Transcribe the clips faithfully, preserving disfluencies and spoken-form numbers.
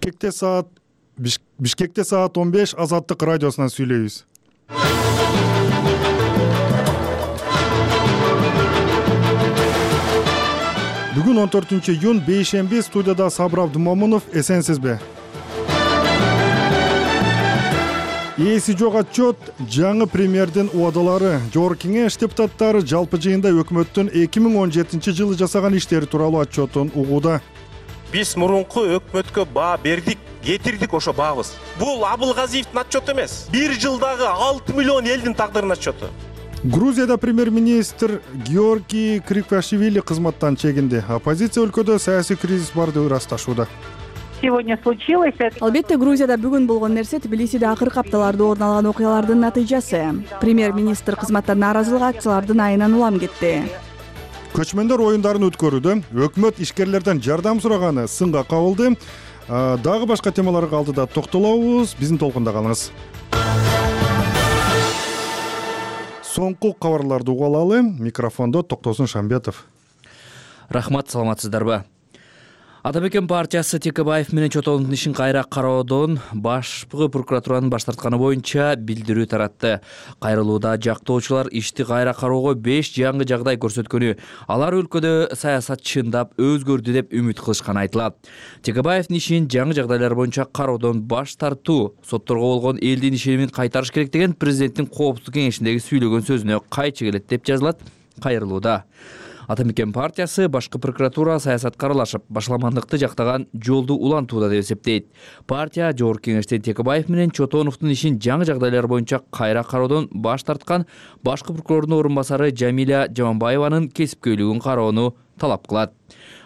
Бишкекте саат Бишкекте саат он беш Азаттык радиосунан сүйлөйбүз. Бүгүн он төртүнчү июнь бейшемби, студияда Сабыр Абдымомунов. Эсенсизби? Ээси жок отчет, жаңы премьердин убадалары, жогорку кеңеш депутаттары жалпы жыйында өкмөттүн эки миң он жетинчи жылы жасаган иштери тууралуу отчетун угууда. Биз мурунку өкмөткө баа бердик, кетирдик ошо баабыз. Бул Абылгазиевдин отчету эмес. Бир жылдагы алты миллион элдин тагдырынын отчету. Грузияда премьер-министр Георгий Криквашвили кызматтан чегинди. Оппозиция өлкөдө саясий кризис барды ырасташууда. Сегодня случилось. Албетте, Грузияда бүгүн болгон нерсе Тбилисиде акыркы апталарда орун алган окуялардын натыйжасы. Премьер-министр кызматтан нааразылык акциялардын айынан улам кетти. Көчмөндөр оюндарын өткөрүүдө өкмөт ишкерлерден жардам сураганы сынга кабылды. Дагы башка темаларга алдыда токтолобуз. Биздин толкунда калыңыз. Соңку кабарларды угалалы. Микрофондо Токтосун Шамбетов. Рахмат, саламатсыздарбы? Ата мекен партиясы Текебаев менен Чотоновдун ишин кайра кароодон башкы прокуратуранын баш тартканы боюнча билдирүү таратты. Кайрылууда жактоочулар ишти кайра кароого беш жаңы жагдай көрсөткөнү, алар өлкөдө саясат чындап өзгөрдү деп үмүт кылышканы айтылат. Текебаевдин ишин жаңы жагдайлар боюнча кароодон баш тартуу, сотторго болгон элдин ишенимин кайтарыш керек деген президенттин коопсуздук кеңешиндеги сүйлөгөн сөзүнө кайчы келет деп жазылат кайрылууда. Ата мекен партиясы башкы прокуратура саясатка аралашып, башаламандыкты жактаган жолду улантууда деп эсептейт. Партия жогорку кеңештен Текебаев менен Чотоновдун ишин жаңы жагдайлар боюнча кайра кароодон баш тарткан башкы прокурордун орун басары Жамиля Жаманбаеванын кесипкөйлүгүн кароону талап кылат.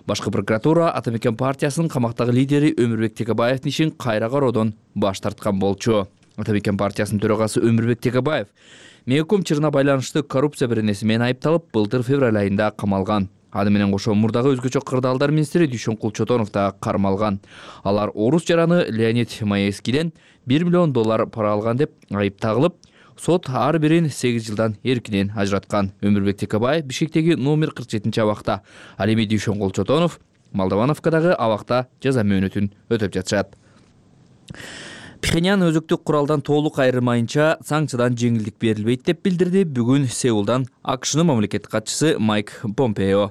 Башкы прокуратура Ата мекен партиясынын камактагы лидери Өмүрбек Текебаевдин ишин кайра кароодон баш тарткан болчу. Ата мекен партиясынын төрагасы Өмүрбек Текебаев Меоком чырына байланыштуу коррупция беренеси менен айыпталып, былтыр февраль айында камалган. Аны менен кошо мурдагы өзгөчө кырдаалдар министри Дүйшөнкул Чотонов да кармалган. Алар орус жараны Леонид Маевскийден бир миллион доллар пара алган деп айыпталып, сот ар бирин сегиз жылдан эркинен ажыраткан. Өмүрбек Текебаев Бишкектеги номер кырк жетинчи абакта, ал эми Дүйшөнкул Чотонов Молдовановкадагы абакта жаза мөөнөтүн өтөп жатышат. Пхеньян өзөктүк куралдан толук айырмайынча санкциядан жеңилдик берилбейт деп билдирди бүгүн Сеулдан АКШнын мамлекеттик катчысы Майк Помпео.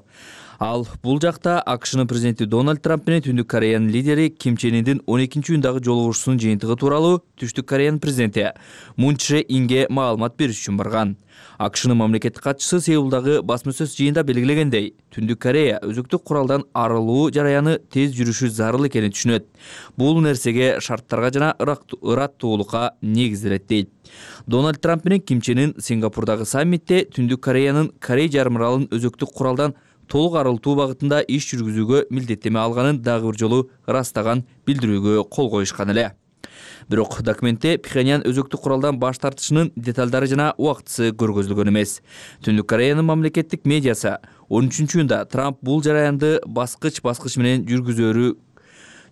Ал бул жакта АКШнын президенти Дональд Трамп менен Түндүк Кореянын лидери Ким Чен Индин он экинчи июндагы жолугушуусунун жыйынтыгы тууралуу Түштүк Кореянын президенти Мун Чже Инге маалымат бериш үчүн барган. АКШнын мамлекеттик катчысы Сеулдагы басма сөз жыйында белгилегендей, Түндүк Корея өзөктүк куралдан арылуу жараяны тез жүрүшү зарыл экенин түшүнөт. Бул нерсеге шарттарга жана ыраттуулукка негизделет дейт. Дональд Трамп менен Ким Чен Ин Сингапурдагы саммитте Түндүк Кореянын Корей жарым аралын өзөктүк куралдан толук арылтуу багытында иш жүргүзүүгө милдеттеме алганын дагы бир жолу ырастаган билдирүүгө кол коюшкан эле. Бирок документте Пхеньян өзөктүк куралдан баш тартышынын деталдары жана убактысы көргөзүлгөн эмес. Түндүк Кореянын мамлекеттик медиасы он үчүнчү июнда Трамп бул жараянды баскыч-баскыч менен жүргүзөөрү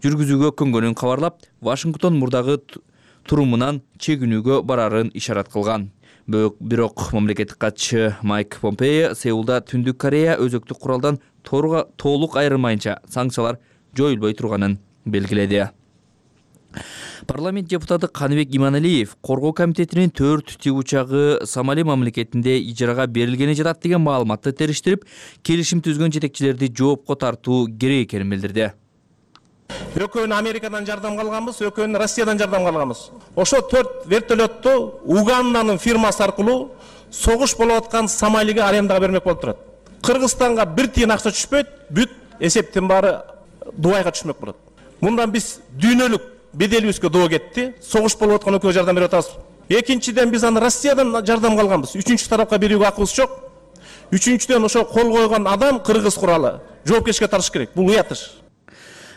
жүргүзүүгө көнгөнүн кабарлап, Вашингтон мурдагы турумунан чегинүүгө барарын ишарат кылган. Бирок мамлекеттик катчы Майк Помпео Сеулда Түндүк Корея өзөктүк куралдан толук айырмайынча санкциялар жоюлбой турганын белгиледи. Парламент депутаты Каныбек Иманалиев Коргоо комитетинин төрт тик учагы Сомали мамлекетинде ижарага берилгени жатат деген маалыматты териштирип, келишим түзгөн жетекчилерди жоопко тартуу керек экенин билдирди. Экөөнү Америкадан жардам алганбыз, экөөнү Россиядан жардам алганбыз. Ошо төрт вертолетту Уганданын фирмасы аркылуу согуш болуп аткан Сомалиге арендага бермек болуп турат. Кыргызстанга бир тиын акча түшпөйт, бүт эсептин баары Дубайга түшмөк болот. Мындан биз дүйнөлүк беделибизге доо кетти. Согуш болуп аткан өлкөгө жардам берип атабыз. Экинчиден биз аны Россиядан жардам алганбыз. Үчүнчү тарапка берүүгө акыбыз жок. Үчүнчүдөн ошо кол койгон адам кыргыз куралы жоопкерчиликке тартыш керек. Бул уятыш.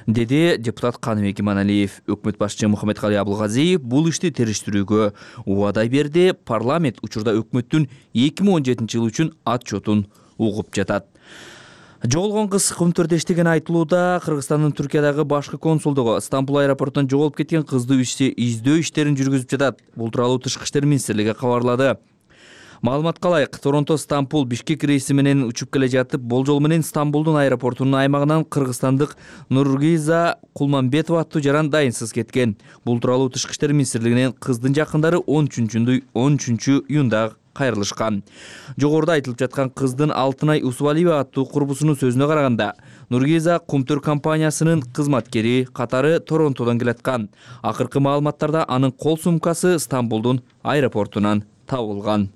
Деди депутат Каныбек Иманалиев. Өкмөт башчысы Мухаммедкалый Абылгазиев бул ишти териштирүүгө убада берди. Парламент учурда өкмөттүн эки миң он жетинчи жыл үчүн отчетун угуп жатат. Жоголгон кыз Кумтөрдө иштеген айтылууда. Кыргызстандын Түркиядагы башкы консулдугу Стамбул аэропортунан жоголуп кеткен кызды издөө иштерин жүргүзүп жатат. Бул тууралуу Тышкы иштер министрлиги кабарлады. Маалыматка ылайык, Торонто Стамбул Бишкек рейси менен учуп келе жатып, болжол менен Стамбулдун аэропортунун аймагынан кыргызстандык Нургиза Кулманбетова аттуу жаран дайынсыз кеткен. Бул тууралуу Тышкы иштер министрлигинен кыздын жакындары он үчүнчү июнда кайрылышкан. Жогоруда айтылып жаткан кыздын Алтынай Усубалиева аттуу курбусунун сөзүнө караганда, Нургиза Кумтөр компаниясынын кызматкери катары Торонтодон келаткан. Акыркы маалыматтарда анын кол сумкасы Стамбулдун аэропортунан табылган.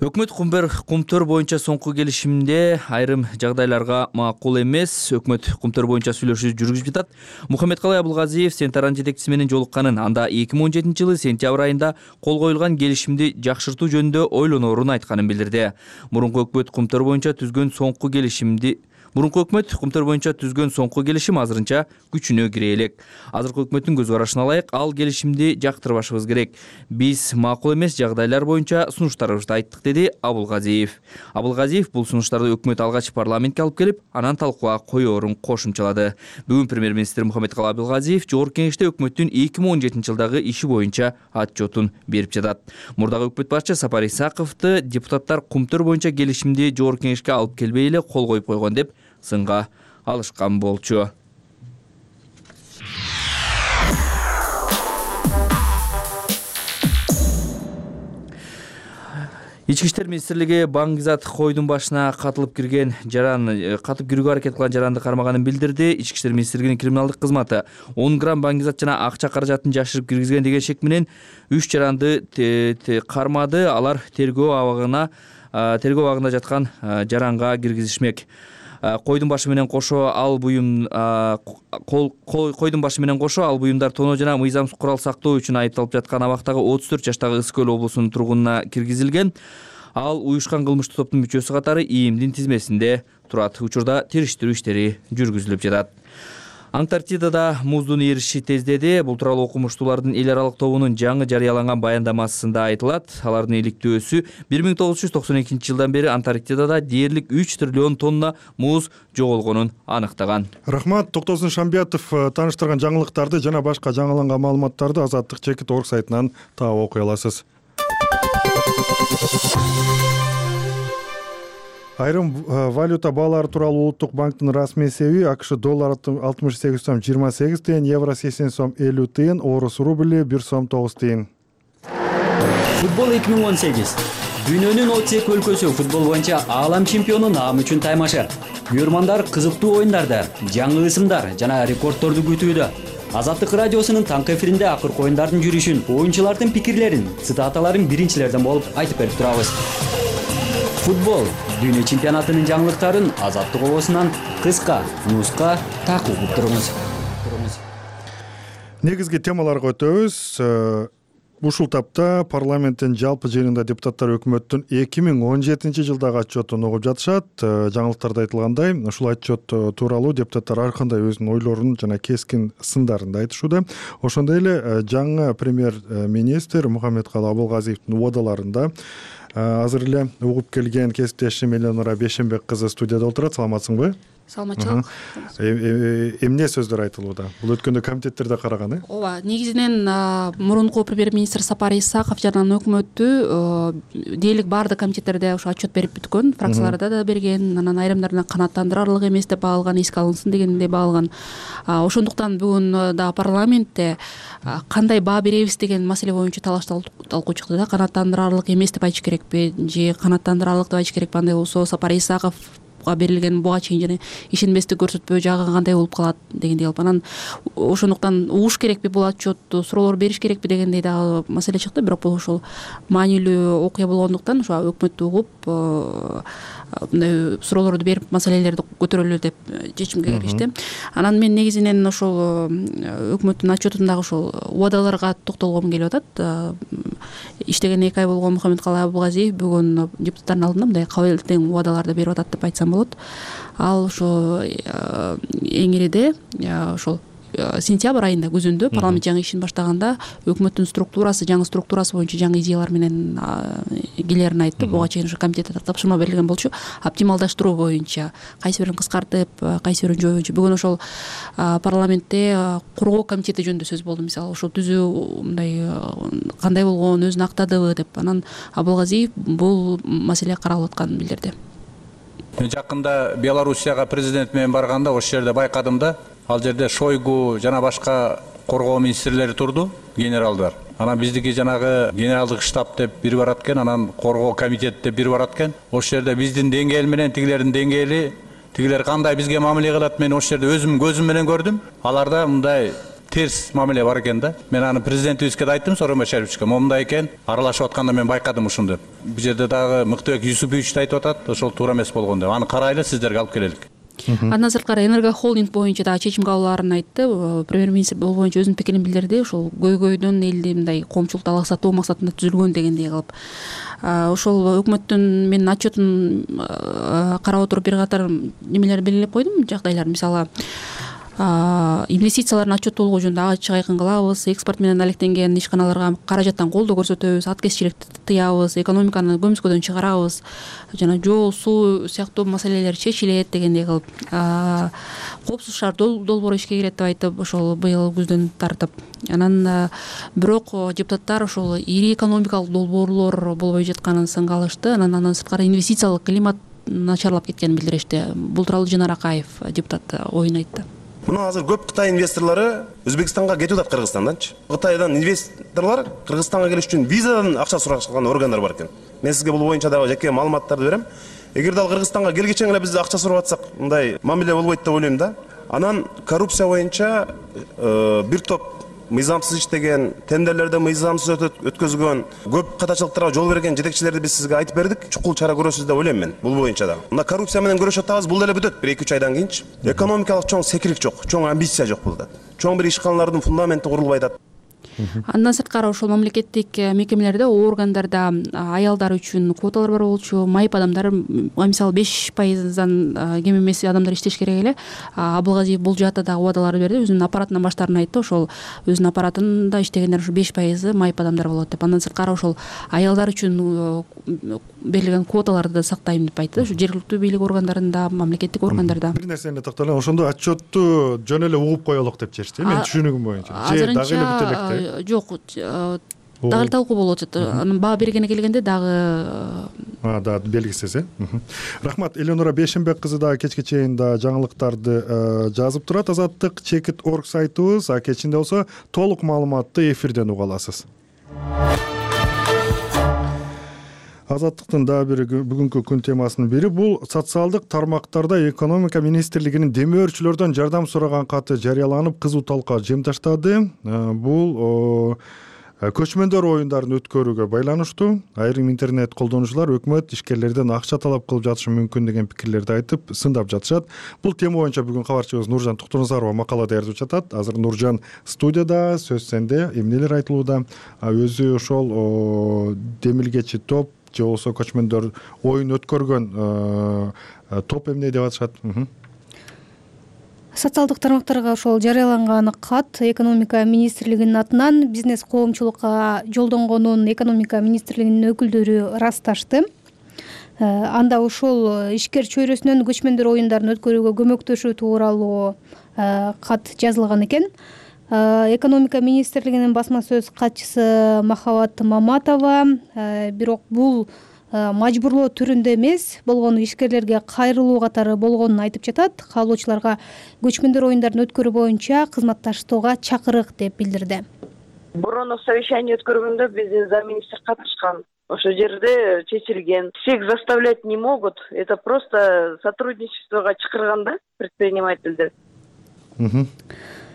Өкмөт Кумтөр боюнча соңку келишимде айрым жагдайларга макул эмес. Өкмөт Кумтөр боюнча сүйлөшүү жүргүзүп жатат. Мухаммедкалай Абылгазиев Сентаран жетекчиси менен жолукканын, анда эки миң он жетинчи жылы сентябрь айында кол коюлган келишимди жакшыртуу жөнүндө ойлоноорун айтканын билдирди. Мурунку өкмөт Кумтөр боюнча түзгөн соңку келишимди Мурунку өкмөт Кумтөр боюнча түзгөн соңку келишим азырынча күчүнө кире элек. Азыркы өкмөттүн көз карашына ылайык, ал келишимди жактырбашыбыз керек. Биз макул эмес жагдайлар боюнча сунуштарыбызды айттык, деди Абылгазиев. Абылгазиев бул сунуштарды өкмөт алгач парламентке алып келип, анан талкууга коёорун кошумчалады. Бүгүн премьер-министр Мухаммедкалай Абылгазиев Жогорку Кеңеште өкмөттүн эки миң он жетинчи жылдагы иши боюнча отчетун берип жатат. Мурдагы өкмөт башчы Сапар Исаковду депутаттар Кумтөр боюнча келишимди Жогорку Кеңешке алып келбей эле кол коюп койгон деп сынга алышкан болчу. Ички иштер министрлиги Баңгизат койдун башына катылып кирген жаран катып кирүүгө аракет кылган жаранды кармаганын билдирди. Ички иштер министрлигинин криминалдык кызматы он грамм баңгизат жана акча каражатын жашырып киргизген деген шек менен үч жаранды кармады. Алар тергөө абагына тергөө абагында жаткан жаранга киргизишмек. Койдун башы менен кошо ал буюм койдун башы менен кошо ал буюмдар тоноо жана мыйзамсыз курал сактоо үчүн айыпталып жаткан абактагы отуз төрт жаштагы Ысык Көл облусунун тургунуна киргизилген. Ал уюшкан кылмыштуу топтун мүчөсү катары ИИМдин тизмесинде турат. Учурда териштирүү иштери жүргүзүлүп жатат. Антарктидада муздун эриши тездеди. Бул тууралуу окумуштуулардын эл аралык тобунун жаңы жарыяланган баяндамасында айтылат. Алардын иликтөөсү бир миң тогуз жүз токсон экинчи жылдан бери Антарктидада дээрлик үч триллион тонна муз жоголгонун аныктаган. Рахмат, Токтосун Шамбиятов тааныштырган жаңылыктарды жана башка жаңыланган маалыматтарды Азаттык чекит орг сайтынан таап окуй аласыз. Айрым валюта баалары тууралуу Улуттук банктын расмий эсеби АКШ доллар алтымыш сегиз сом жыйырма сегиз тыйын, евро сексен сом элүү тыйын, орус рубли бир сом тогуз тыйын. Футбол эки миң он сегиз. Дүйнөнүн отуз эки өлкөсү футбол боюнча аалам чемпиону наам үчүн таймашат. Күйөрмандар кызыктуу оюндарды, жаңы ысымдар жана рекордторду күтүүдө. Азаттык радиосунун таңкы эфиринде акыркы оюндардын жүрүшүн, оюнчулардын пикирлерин, цитаталарын биринчилерден болуп айтып берип турабыз. Футбол дүйнө чемпионатынын жаңылыктарын Азаттык обосунан кыска, нуска такып туруңуз. Негизги темаларга өтөбүз. Ушул тапта парламенттин жалпы жыйынында депутаттар өкмөттүн эки миң он жетинчи жылдагы отчетун угуп жатышат. Жаңылыктарда айтылгандай, ушул отчет тууралуу депутаттар ар кандай өзүнүн ойлорун жана кескин сындарын да айтышууда. Ошондой эле жаңы премьер-министр Мухаммедкалай Абылгазиевдин убадаларында азыр эле угуп келген кесиптешим Эленора Бешенбек кызы студияда отурат. Саламатсыңбы? Саламатчылык. Эмне сөздөр айтылууда? Бул өткөндө комитеттерде караган, э? Ооба, негизинен мурунку премьер-министр Сапар Исаков жана өкмөтү дээрлик баардык комитеттерде ошо отчет берип бүткөн, фракцияларда да берген, анан айрымдарына канааттандырарлык эмес деп баалган, эске алынсын дегендей баалган. Ошондуктан бүгүн да парламентте кандай баа беребиз деген маселе боюнча талаш талкуу чыкты да. Канааттандырарлык эмес деп айтыш керекпи же канааттандырарлык деп айтыш керекпи? Андай болсо Сапар Исаков берилген буга чейин жана ишенбестик көрсөтпөө жагы кандай болуп калат дегендей кылып, анан ошондуктан угуш керекпи бул отчетту, суроолор бериш керекпи дегендей дагы маселе чыкты. Бирок бул ошол маанилүү окуя болгондуктан ошо өкмөттү угуп мындай суроолорду берип маселелерди көтөрөлү деп чечимге келишти. Анан мен негизинен ошол өкмөттүн отчетундагы ошол убадаларга токтолгом келип атат. Иштеген эки ай болгон Мухаммедкалай Абылгазиев бүгүн депутаттардын алдында мындай кабыл убадаларды берип атат деп айтсам болот. Ал ошо эң ириде ошол сентябрь айында күзүндө парламент жаңы ишин баштаганда өкмөттүн структурасы жаңы структурасы боюнча жаңы идеялар менен келерин айтты. Буга чейин ушу комитетте тапшырма берилген болчу. Оптималдаштыруу боюнча кайсы бирин кыскартып, кайсы бирин жою боюнча бүгүн ошол парламентте коргоо комитети жөнүндө сөз болду. Мисалы ошо түзүү мындай кандай болгон, өзүн актадыбы деп. Анан Абылгазиев бул маселе каралып атканын билдирди. Жакында Белоруссияга президент менен барганда ошол жерде байкадым да, ал жерде Шойгу жана башка коргоо министрлери турду, генералдар. Анан биздики жанагы генералдык штаб деп бири барат экен, анан коргоо комитет деп бири барат экен. Ошол жерде биздин деңгээл менен тигилердин деңгээли, тигилер кандай бизге мамиле кылат, мен ошол жерде өзүм көзүм менен көрдүм. Аларда мындай терс мамиле бар экен да. Мен аны президентибизге да айттым, Сооронбай Шариповичке, момундай экен, аралашып атканда мен байкадым ушуну деп. Бул жерде дагы Мыктыбек Юсупович да айтып атат, ошол туура эмес болгон деп. Аны карайлы, сиздерге алып келелик. Андан сырткары Энергохолдинг боюнча дагы чечим кабыл аларын айтты. Премьер-министр бул боюнча өзүнүн пикирин билдирди. Ошол көйгөйдөн элди мындай коомчулукту алаксатуу максатында түзүлгөн дегендей кылып. Ошол өкмөттүн менин отчетун карап отуруп бир катар немелерди белгилеп койдум, жагдайлар. Мисалы, инвестициялардын отчеттуулугу жөнүндө ачык айкын кылабыз, экспорт менен алектенген ишканаларга каражаттан колдоо көрсөтөбүз, аткезчиликти тыябыз, экономиканы көмүскөдөн чыгарабыз, жана жол, суу сыяктуу маселелер чечилет дегендей кылып, коопсуз шаар долбоору ишке кирет деп айтып, ошол быйыл күздөн тартып. Анан бирок депутаттар ошол ири экономикалык долбоорлор болбой жатканын сынга алышты. Анан андан сырткары инвестициялык климат начарлап кеткенин билдиришти. Бул тууралуу Жанар Акаев, депутат, оюн айтты. Мына азыр көп Кытай инвесторлору Өзбекстанга кетип атат, Кыргызстанданчы. Кытайдан инвесторлор Кыргызстанга келиш үчүн визадан акча сурашкан органдар бар экен. Мен сизге бул боюнча дагы жеке маалыматтарды берем. Эгерде ал Кыргызстанга келгечен эле биз акча сурап атсак, мындай мамиле болбойт деп ойлойм да. Анан коррупция боюнча бир топ мыйзамсыз иштеген, тендерлерди мыйзамсыз өткөзгөн, көп катачылыктарга жол берген жетекчилерди биз сизге айтып бердик. Чукул чара көрөсүз деп ойлойм мен бул боюнча да. Мына коррупция менен көрөшүп атабыз, бул деле бүтөт бир эки үч айдан кийинчи. Экономикалык чоң секирик жок, чоң амбиция жок булда. Чоң бир ишканалардын фундаменти курулбай атат. Андан сырткары ошол мамлекеттик мекемелерде, органдарда аялдар үчүн квоталар бар болчу, майып адамдар, мисалы беш пайыздан кем эмес адамдар иштеш керек эле. Абылгазиев бул жаатта дагы убадалар берди, өзүнүн аппаратынан баштаарын айтты. Ошол өзүнүн аппаратында иштегендер ушу беш пайызы майып адамдар болот деп. Андан сырткары ошол аялдар үчүн берилген квоталарды да сактайм деп айтты. Ушу жергиликтүү бийлик органдарында, мамлекеттик органдарда. Бир нерсени токтолом, ошондо отчетту жөн эле угуп коелук деп чечти, мен түшүнүгүм боюнча. Же дагы эле бүтө электе. Жок, дагы талкуу болуп атат. Анын баа бергене келгенде дагы да белгисиз, э. Рахмат. Эленора Бешенбек кызы дагы кечке чейин да жаңылыктарды жазып турат. Азаттык чекит орг сайтыбыз, а кечинде болсо толук маалыматты эфирден уга аласыз. Азаттыктын дагы бир бүгүнкү күн темасынын бири бул социалдык тармактарда экономика министрлигинин демөөрчүлөрдөн жардам сураган каты жарыяланып, кызуу талкуу жем таштады. Бул көчмөндөр оюндарын өткөрүүгө байланыштуу. Айрым интернет колдонуучулар өкмөт ишкерлерден акча талап кылып жатышы мүмкүн деген пикирлерди айтып, сындап жатышат. Бул тема боюнча бүгүн кабарчыбыз Нуржан Токтоназарова макала даярдап жатат. Азыр Нуржан студияда, сөз сенде. Эмнелер айтылууда? Өзү ошол демилгечи топ же болбосо көчмөндөр оюн өткөргөн топ эмне деп атышат? Социалдык тармактарга ошол жарыяланган кат экономика министрлигинин атынан бизнес коомчулукка жолдонгонун экономика министрлигинин өкүлдөрү ырасташты. Анда ошол ишкер чөйрөсүнөн көчмөндөр оюндарын өткөрүүгө көмөктөшүү тууралуу кат жазылган экен. Экономика министрлигинин басма сөз катчысы Махабат Маматова бирок бул мажбурлоо түрүндө эмес болгону ишкерлерге кайрылуу катары болгонун айтып жатат. Каалоочуларга көчмөндөр оюндарын өткөрүү боюнча кызматташтууга чакырык деп билдирди. Мурун совещание өткөргөндө биздин замминистр катышкан. Ошол жерде чечилген. Всех заставлять не могут. Это просто сотрудничествого чакырганда предпринимательдер.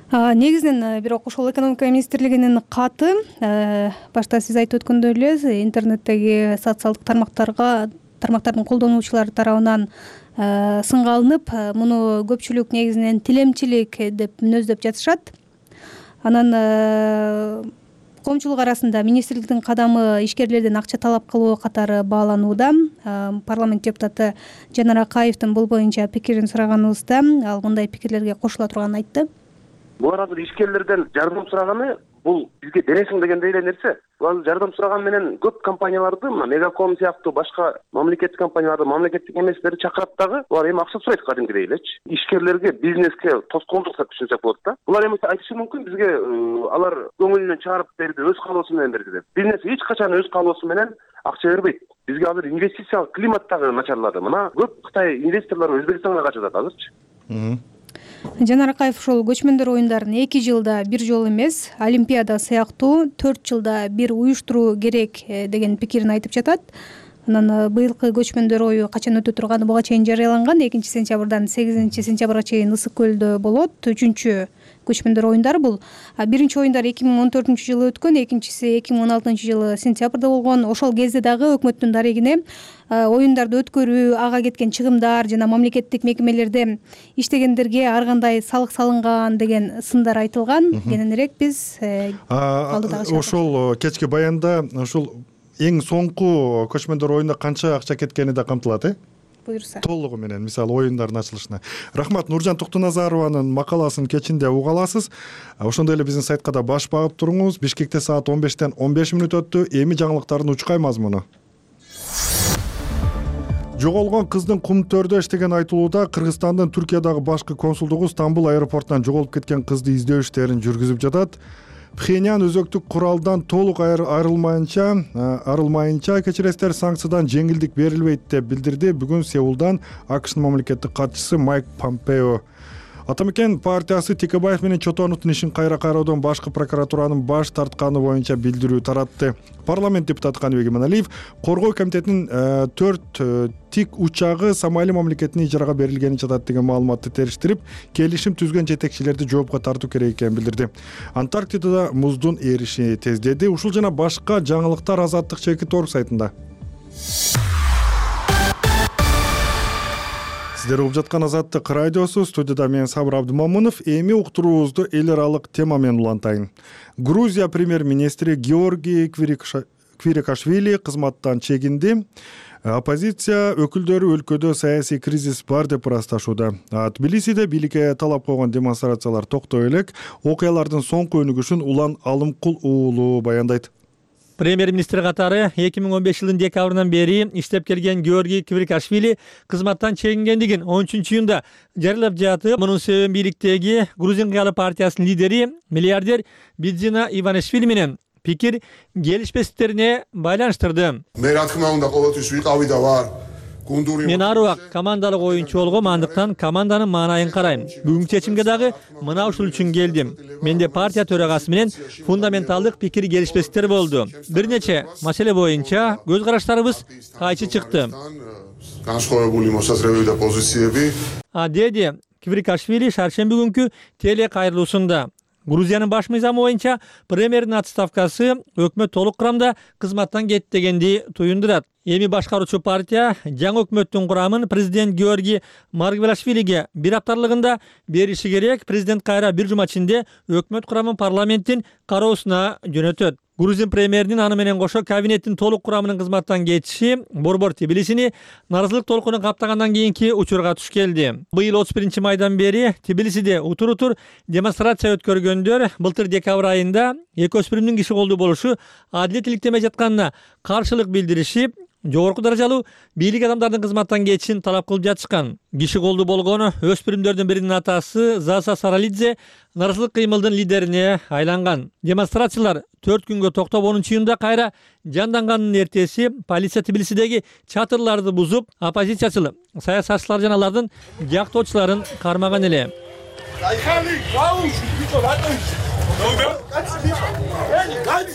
Негизинен бирок ошол экономика министрлигинин каты башта сиз айтып өткөндөй эле интернеттеги социалдык тармактарга тармактардын колдонуучулары тарабынан сынга алынып, муну көпчүлүк негизинен тилемчилик деп мүнөздөп жатышат. Анан коомчулук арасында министрликтин кадамы ишкерлерден акча талап кылуу катары бааланууда. Парламент депутаты Жанар Акаевдин бул боюнча пикирин сураганыбызда ал мындай пикирлерге кошула турганын айтты. Булар азыр ишкерлерден жардам сураганы бул бизге бересиң дегендей эле нерсе. Булар жардам сураган менен көп компанияларды, мына Мегаком сыяктуу башка мамлекеттик компанияларды, мамлекеттик эместерди чакырат дагы, булар эми акча сурайт кадимгидей элечи. Ишкерлерге, бизнеске тоскоолдук деп түшүнсөк болот да. Булар эми айтышы мүмкүн бизге алар көңүлүнөн чыгарып берди, өз каалоосу менен берди деп. Бизнес эч качан өз каалоосу менен акча бербейт. Бизге азыр инвестициялык климат дагы начарлады. Мына көп Кытай инвесторлору Өзбекстанга качып атат азырчы. Жанар Акаев ошол көчмөндөр оюндарын эки жылда бир жолу эмес, Олимпиада сыяктуу төрт жылда бир уюштуруу керек деген пикирин айтып жатат. Анан быйылкы көчмөндөр ою качан өтө турганы буга чейин жарыяланган. экинчи сентябрдан сегизинчи сентябрга чейин Ысык көлдө болот. Үчүнчү көчмөндөр оюндар бул. Биринчи оюндар эки миң он төртүнчү жылы өткөн, экинчиси эки миң он алтынчы жылы сентябрда болгон. Ошол кезде дагы өкмөттүн дарегине оюндарды өткөрүү, ага кеткен чыгымдар жана мамлекеттик мекемелерде иштегендерге ар кандай салык салынган деген сындар айтылган. Кененирээк биз ошол кечки баянда ошол эң соңку көчмөндөр оюнда канча акча кеткени да камтылат, э? Буюрса. Толугу менен, мисалы оюндардын ачылышына. Рахмат, Нуржан Токтоназарованын макаласын кечинде уга аласыз. Ошондой эле биздин сайтка да баш багып туруңуз. Бишкекте саат он бештен он беш мүнөт өттү. Эми жаңылыктардын учкай мазмуну. Жоголгон кыздын кум төрдө иштеген айтылууда Кыргызстандын Түркиядагы башкы консулдугу Стамбул аэропортунан жоголуп кеткен кызды издөө иштерин жүргүзүп жатат. Пхеньян өзөктүк куралдан толук айрылмайынча, арылмайынча кечиресиздер санкциядан жеңилдик берилбейт деп билдирди бүгүн Сеулдан АКШнын мамлекеттик катчысы Майк Помпео. Атамекен партиясы Текебаев менен Чотоновдун ишин кайра кароодон башкы прокуратуранын баш тартканы боюнча билдирүү таратты. Парламент депутаты Каныбек Иманалиев коргоо комитетинин төрт тик учагы Сомали мамлекетине ижарага берилгени жатат деген маалыматты териштирип, келишим түзгөн жетекчилерди жоопко тартуу керек экенин билдирди. Антарктидада муздун эриши тездеди. Ушул жана башка жаңылыктар Азаттык чекит орг сайтында. Сиздер угуп жаткан Азаттык радиосу, студияда мен Сабыр Абдымамунов. Эми уктуруубузду эл аралык тема менен улантайын. Грузия премьер-министри Георгий Квирикашвили кызматтан чегинди. Оппозиция өкүлдөрү өлкөдө саясий кризис бар деп ырасташууда. Тбилисиде бийликке талап койгон демонстрациялар токтой элек. Окуялардын соңку өнүгүшүн Улан Алымкул уулу баяндайт. Премьер-министр катары эки миң он беш жылдын декабрынан бери иштеп келген Георгий Квирикашвили кызматтан чегингендигин он үчүнчү июнда жарыялап жатып, мунун себебин бийликтеги Грузин кыялы партиясынын лидери миллиардер Бидзина Иванишвили менен пикир келишпестиктерине байланыштырды. Мен ар убак командалык оюнчу болгом, андыктан команданын маанайын карайм. Бүгүнкү чечимге дагы мына ушул үчүн келдим. Менде партия төрагасы менен фундаменталдык пикир келишпестиктер болду. Бир нече маселе боюнча көз караштарыбыз кайчы чыкты. А деди Квирикашвили шаршемби күнкү теле кайрылуусунда. Грузиянын баш мыйзамы боюнча премьердин отставкасы өкмөт толук курамда кызматтан кетти дегенди туюндурат. Эми башкаруучу партия жаңы өкмөттүн курамын президент Георгий Маргвелашвилиге бир апталыгында бериши керек. Президент кайра бир жума ичинде өкмөт курамын парламенттин кароосуна жөнөтөт. Грузин премьеринин аны менен кошо кабинеттин толук курамынын кызматтан кетиши борбор Тбилисини наразылык толкуну каптагандан кийинки учурга туш келди. Быйыл отуз биринчи майдан бери Тбилисиде утур-утур демонстрация өткөргөндөр былтыр декабрь айында эки өспүрүмдүн киши колдуу болушу адилет иликтемей жатканына каршылык билдиришип, жогорку даражалуу бийлик адамдардын кызматтан кетишин талап кылып жатышкан. Киши колдуу болгон өспүрүмдөрдүн биринин атасы Заса Саралидзе наразылык кыймылдын лидерине айланган. Демонстрациялар төрт күнгө токтоп онунчу июнда кайра жанданганын эртеси полиция Тбилисидеги чатырларды бузуп, оппозициячыл саясатчылар жана алардын жактоочуларын кармаган эле.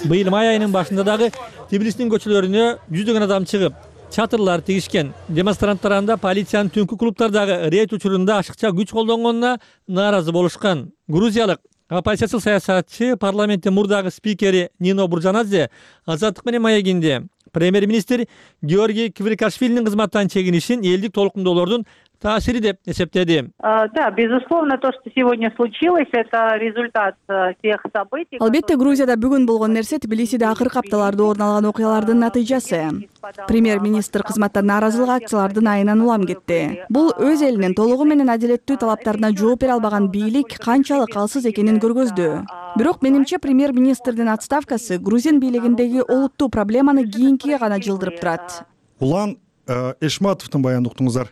Быйыл май айынын башында дагы Тбилисинин көчөлөрүнө жүздөгөн адам чыгып, чатырлар тигишкен. Демонстранттар анда полициянын түнкү клубдардагы рейд учурунда ашыкча күч колдонгонуна нааразы болушкан. Грузиялык оппозициячыл саясатчы парламенттин мурдагы спикери Нино Буржанадзе Азаттык менен маегинде Премьер-министр Георгий Квирикашвилинин кызматтан чегинишин элдик толкундоолордун таасири деп эсептеди. Да, безусловно, то, что сегодня случилось, это результат тех событий. Албетте, Грузияда бүгүн болгон нерсе Тбилисиде акыркы апталарда орун алган окуялардын натыйжасы. Премьер-министр кызматтан нааразылык акциялардын айынан улам кетти. Бул өз элинин толугу менен адилеттүү талаптарына жооп бере албаган бийлик канчалык алсыз экенин көргөздү. Бирок менимче премьер-министрдин отставкасы Грузин бийлигиндеги олуттуу проблеманы кийинкиге гана жылдырып турат. Улан Эшматовдун баянын уктуңуздар.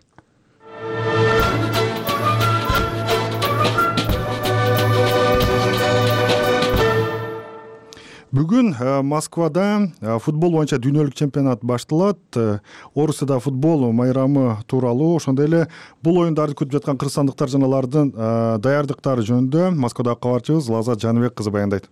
Бүгүн Москвада футбол боюнча дүйнөлүк чемпионат башталат. Орусияда футбол майрамы тууралуу, ошондой эле бул оюндарды күтүп жаткан кыргызстандыктар жана алардын даярдыктары жөнүндө Москвадагы кабарчыбыз Лазат Жаныбек кызы баяндайт.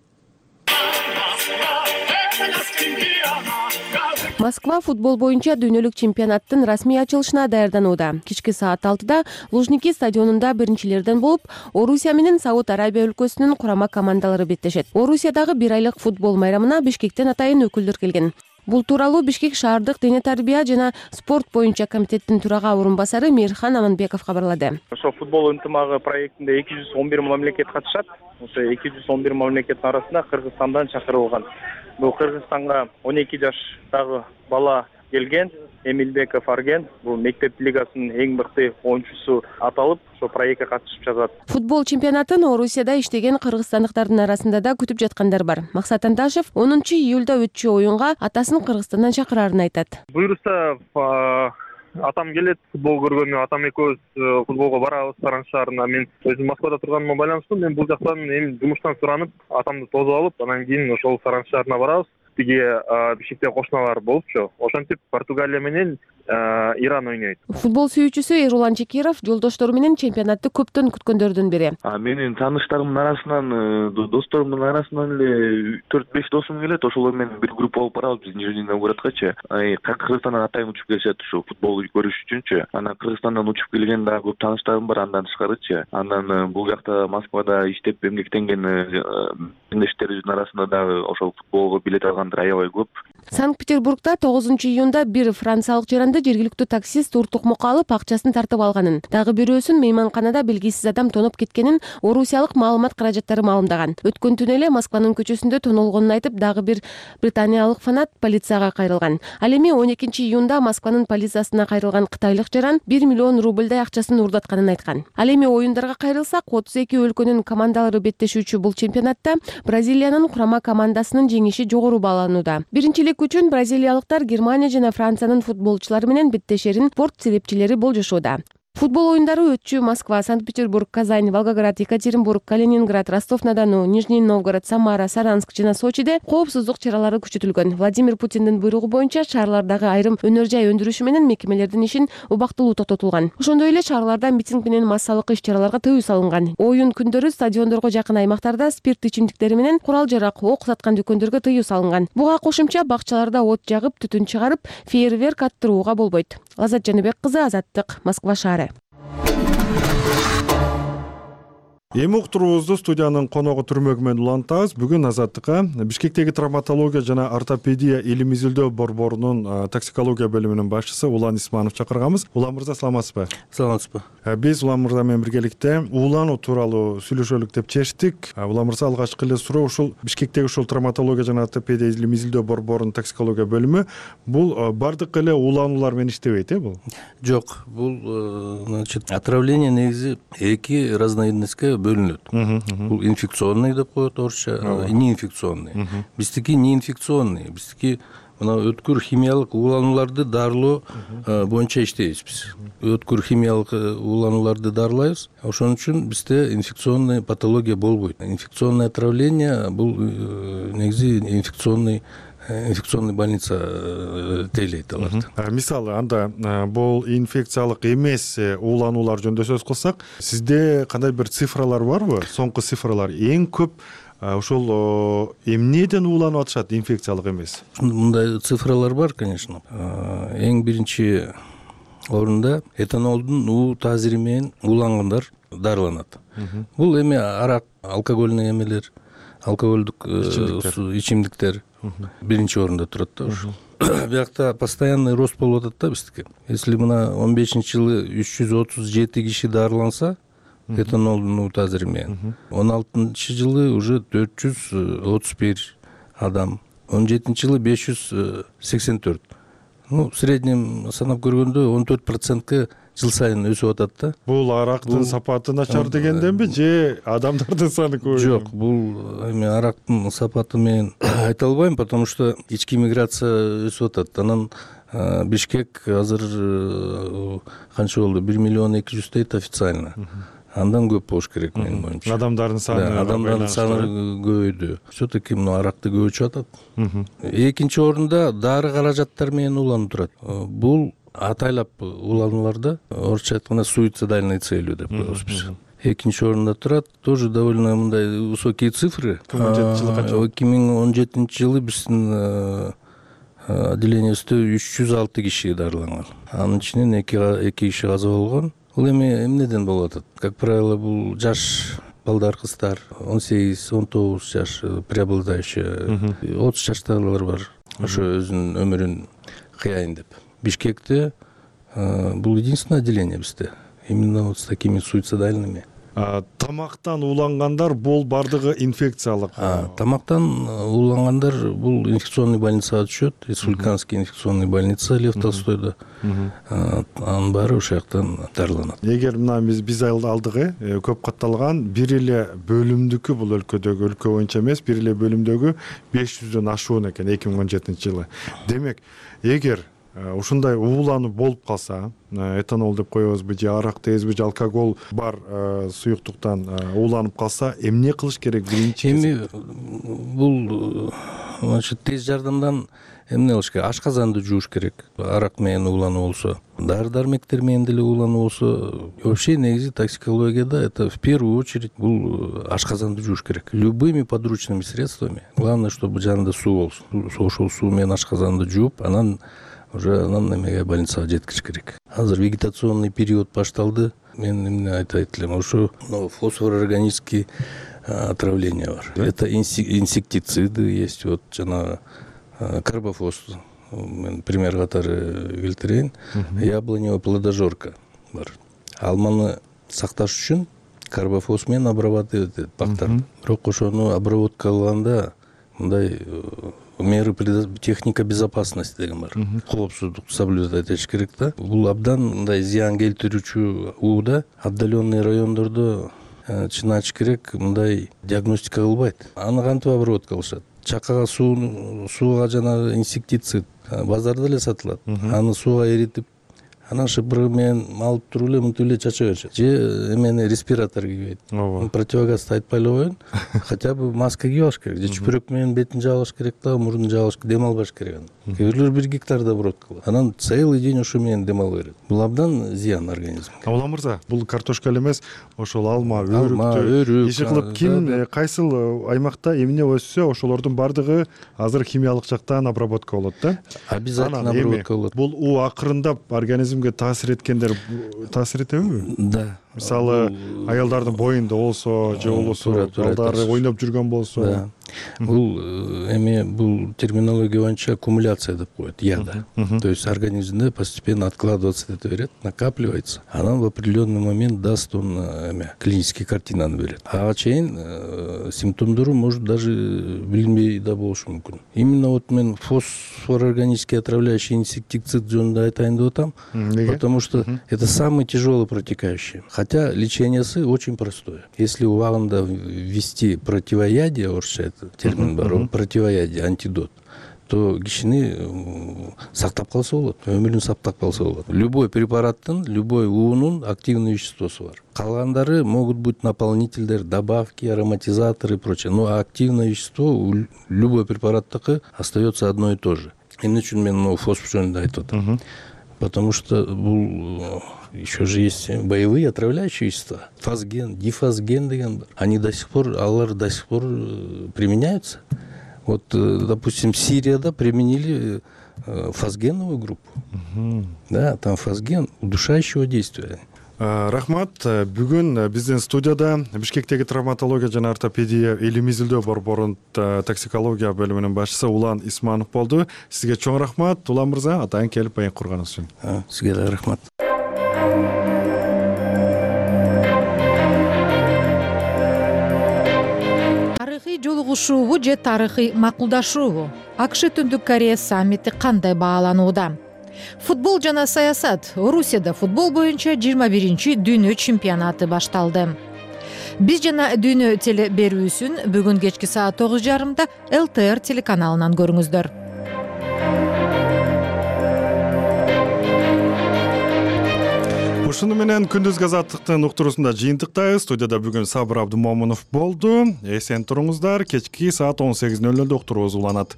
Москва футбол боюнча дүйнөлүк чемпионаттын расмий ачылышына даярданууда. Кички саат алтыда Лужники стадионунда биринчилерден болуп, Орусия менен Сауд Арабия өлкөсүнүн курама командалары беттешет. Орусиядагы бир айлык футбол майрамына Бишкектен атайын өкүлдөр келген. Бул тууралуу Бишкек шаардык дене тарбия жана спорт боюнча комитеттин төрага орун басары Мирхан Аманбеков кабарлады. Ошо футбол ынтымагы проектинде эки жүз он бир мамлекет катышат. Ошо эки жүз он бир мамлекеттин арасында Кыргызстандан чакырылган. Бул Кыргызстанга он эки жаштагы бала келген, Эмилбеков Арген, бул мектеп лигасынын эң мыкты оюнчусу аталып, ошо проектке катышып жатат. Футбол чемпионатын Орусияда иштеген кыргызстандыктардын арасында да күтүп жаткандар бар. Максат Анташев онунчу июлда өтчү оюнга атасын Кыргызстандан чакырарын айтат. Буюрса атам келет, футбол көргөнү, атам экөөбүз футболго барабыз Саран шаарына. Мен өзүм Москвада турганыма байланыштуу, мен бул жактан эми жумуштан суранып, атамды тосуп алып, анан кийин ошол Саран шаарына барабыз. Тиги Бишкекте кошуналар болупчу. Ошентип Португалия менен Иран ойнойт. Футбол сүйүүчүсү Эрулан Чекиров жолдоштору менен чемпионатты көптөн күткөндөрдүн бири. Менин тааныштарымдын арасынан, досторумдун арасынан эле төрт беш досум келет. Ошолор менен бир группа болуп барабыз биз Нижний Новгородкачы. Кыргызстандан атайын учуп келишет ушу футбол көрүш үчүнчү. Анан Кыргызстандан учуп келген дагы көп тааныштарым бар андан тышкарычы. Анан бул жакта Москвада иштеп эмгектенген мекендештерибиздин арасында дагы ошол футболго билет алгандар аябай көп. Санкт-Петербургда тогузунчу июнда бир франциялык жаранды жергиликтүү таксист уртукмукка алып акчасын тартып алганын, дагы бирөөсүн мейманканада белгисиз адам тоноп кеткенин орусиялык маалымат каражаттары маалымдаган. Өткөн түнү эле Москванын көчөсүндө тонолгонун айтып, дагы бир британиялык фанат полицияга кайрылган. Ал эми он экинчи июнда Москванын полициясына кайрылган кытайлык жаран бир миллион рубльдай акчасын урдатканын айткан. Ал эми оюндарга кайрылсак, отуз эки өлкөнүн командалары беттешүүчү бул чемпионатта Бразилиянын курама командасынын жеңиши жогору бааланууда. Биринчилик үчүн бразилиялыктар Германия жана Франциянын футболчулары менен беттешерин спорт серепчилери болжошууда. Футбол оюндары өтчү Москва, Санкт-Петербург, Казань, Волгоград, Екатеринбург, Калининград, Ростов-на-Дону, Нижний Новгород, Самара, Саранск жана Сочиде коопсуздук чаралары күчөтүлгөн. Владимир Путиндин буйругу боюнча шаарлардагы айрым өнөр жай өндүрүшү менен мекемелердин ишин убактылуу токтотулган. Ошондой эле шаарларда митинг менен массалык иш-чараларга тыюу салынган. Оюн күндөрү стадиондорго жакын аймактарда спирт ичимдиктери менен курал-жарак, ок саткан дүкөндөргө тыюу салынган. Буга кошумча бакчаларда от жагып, түтүн чыгарып, фейерверк аттырууга болбойт. Лазат Жаныбек кызы, Азаттык, Москва шаары. Эми уктуруубузду студиянын коногу түрмөгү менен улантабыз. Бүгүн Азаттыкка Бишкектеги травматология жана ортопедия илим изилдөө борборунун токсикология бөлүмүнүн башчысы Улан Исманов чакырганбыз. Улан мырза, саламатсызбы? Саламатсызбы. Биз Улан мырза менен биргеликте уулануу тууралуу сүйлөшөлүк деп чечтик. Улан мырза, алгачкы эле суроо ушул Бишкектеги ушул травматология жана ортопедия илим изилдөө борборунун токсикология бөлүмү бул бардык эле уулануулар менен иштебейт, э бул? Жок, бул значит отравление негизи эки разновидностьке бөлүнөт. Бул инфекционный деп коет орусча, неинфекционный. Биздики неинфекционный, биздики мына өткүр химиялык ууланууларды дарылоо боюнча иштейбиз биз. Өткүр химиялык ууланууларды дарылайбыз. Ошон үчүн бизде инфекционный патология болбойт. Инфекционное отравление бул негизи инфекционный инфекционный больница тейлейт аларды. Мисалы, анда бул инфекциялык эмес уулануулар жөнүндө сөз кылсак, сизде кандай бир цифралар барбы? Соңку цифралар эң көп ошол эмнеден ууланып атышат, инфекциялык эмес? Мындай цифралар бар, конечно. Эң биринчи орунда этанолдун уу таасири менен уулангандар дарыланат. Бул эми арак, алкогольный эмелер, алкогольдүк ичимдиктер, биринчи орунда турат да ушул. Биякта постоянный рост болуп атат да биздики. Если мына он бешинчи жылы үч жүз отуз жети киши дарыланса этанолдун утазыр менен, он алтынчы жылы уже төрт жүз отуз бир адам, он жетинчи жылы беш жүз сексен төрт. Ну, в среднем санап көргөндө он төрт процентке жыл сайын өсүп атат да. Бул арактын сапаты начар дегенденби же адамдардын саны көп? Жок, бул эми арактын сапаты менен айта албайм, потому что ички миграция өсүп атат. Анан Бишкек азыр канча болду? бир миллион эки жүз дейт официально. Андан көп болуш керек менин оюмча. Адамдардын саны адамдардын саны көбөйдү. Все-таки мына аракты көп ичип атат. Экинчи орунда дары каражаттары менен уланып турат. Бул атайлап уланууларда орусча айтканда суицидальный целью деп коебуз биз. Экинчи орунда турат, тоже довольно мындай высокие цифры. эки миң он жетинчи жылы биздин отделениябызда үч жүз алты киши дарыланган. Анын ичинен эки киши каза болгон. Бул эми эмнеден болуп атат? Как правило, бул жаш балдар, кыздар, он сегиз он тогуз жаш преобладающая, отуз жаштагылар бар. Ошо өзүнүн өмүрүн кыяйын деп. Бишкекте бул единственное отделение бизде. Именно вот с такими суицидальными. Тамактан улангандар бул бардыгы инфекциялык. Тамактан улангандар бул инфекционный больницага түшөт. Республиканский инфекционный больница Лев Толстойдо. Анын баары ошол жактан дарыланат. Эгер мына биз биз алдыгы көп катталган бир эле бөлүмдүкү бул өлкөдөгү, өлкө боюнча эмес, бир эле бөлүмдөгү беш жүздөн ашуун экен эки миң он жетинчи жылы. Демек, эгер ушундай уулануу болуп калса, этанол деп коебузбу же арак дейбизби же алкоголь бар суюктуктан ууланып калса, эмне кылыш керек биринчи? Эми бул значит тез жардамдан эмне кылыш керек? Ашказанды жууш керек. Арак менен уулануу болсо, дары дармектер менен деле уулануу болсо, вообще негизи токсикологияда это в первую очередь бул ашказанды жууш керек. Любыми подручными средствами. Главное, чтобы жанында суу болсун. Ошол суу менен ашказанды жууп, анан уже анан эмеге больницага жеткириш керек. Азыр вегетационный период башталды. Мен эмне айтайт элем, ошо фосфорорганический отравление бар. Это инсектициды есть, вот жана карбофос. Мен пример катары келтирейин. Яблоневая плодожорка бар. Алманы сакташ үчүн карбофос менен обрабатывать этет бактар. Бирок ошону обработка кылганда мындай меры техника безопасности деген бар. Коопсуздукту соблюдать этиш керек да. Бул абдан мындай зыян келтирүүчү ууда отдаленный райондордо чыначыш керек, мындай диагностика кылбайт. Аны кантип обработка кылышат? Чакага суу сууга жана инсектицид базарда эле сатылат. Аны сууга эритип, анан шыпыры менен алып туруп эле мынтип эле чача беришет. Же эмени респиратор кийбейт. Противогазды айтпай эле коеюн, хотя бы маска кийип алыш керек. Же чүпүрөк менен бетин жаап алыш керек да, мурдун жаап алыш, дем албаш керек аны. Кээ бирлер бир гектарда обработка кылат. Анан целый день ошо менен дем алып берет. Бул абдан зыян организмге. Улан мырза, бул картошка эле эмес, ошол алма, өрүктү иши кылып ким кайсыл аймакта эмне өссө, ошолордун бардыгы азыр химиялык жактан обработка болот да. Обязательно обработка болот. Бул у акырындап организмге таасир эткендер таасир этеби? Да. Мисалы, аялдардын боюнда болсо, же болбосо балдары ойноп жүргөн болсо. Бул эми бул терминология боюнча аккумуляция деп коет, яда. То есть организмде постепенно откладываться эте берет, накапливается. Анан в определенный момент даст он эме клинический картинаны берет. Ага чейин симптомдору может даже билинбей да болушу мүмкүн. Именно вот мен фосфорорганический отравляющий инсектицид жөнүндө айтайын деп атам, потому что это самый тяжелый протекающий. Хотя лечениеси очень простое. Если убагында ввести противоядие, орусча это термин бар, противоядие, антидот, то кишини сактап калса болот, өмүрүн сактап калса болот. Любой препараттын, любой уунун активный веществосу бар. Калгандары могут быть наполнительдер, добавки, ароматизаторы и прочее. Но активное вещество у любой препараттыкы остается одно и то же. Эмне үчүн мен могу фосфор жөнүндө айтып атам? Потому что бул еще же есть боевые отравляющие вещества. Фосген, дифосген деген бар. Они до сих пор, алар до сих пор применяются. Вот, допустим, Сирияда применили фосгеновую группу. Да, там фосген удушающего действия. Рахмат. Бүгүн биздин студияда Бишкектеги травматология жана ортопедия илимий изилдөө борборунун токсикология бөлүмүнүн башчысы Улан Исманов болду. Сизге чоң рахмат, Улан мырза, атайын келип баян курганыңыз үчүн. Сизге да рахмат. Тарыхый жолугушуубу же тарыхый макулдашуубу? АКШ Түндүк Корея саммити кандай бааланууда? Футбол жана саясат. Орусияда футбол боюнча жыйырма биринчи дүйнө чемпионаты башталды. Биз жана дүйнө теле берүүсүн бүгүн кечки саат тогуз жарымда эл тэ эр телеканалынан көрүңүздөр. Ушуну менен күндүзгү азаттыктын уктуруусунда жыйынтыктайбыз. Студияда бүгүн Сабыр Абдымомунов болду. Эсен туруңуздар. Кечки саат он сегиз нөл нөлдө уктуруубуз уланат.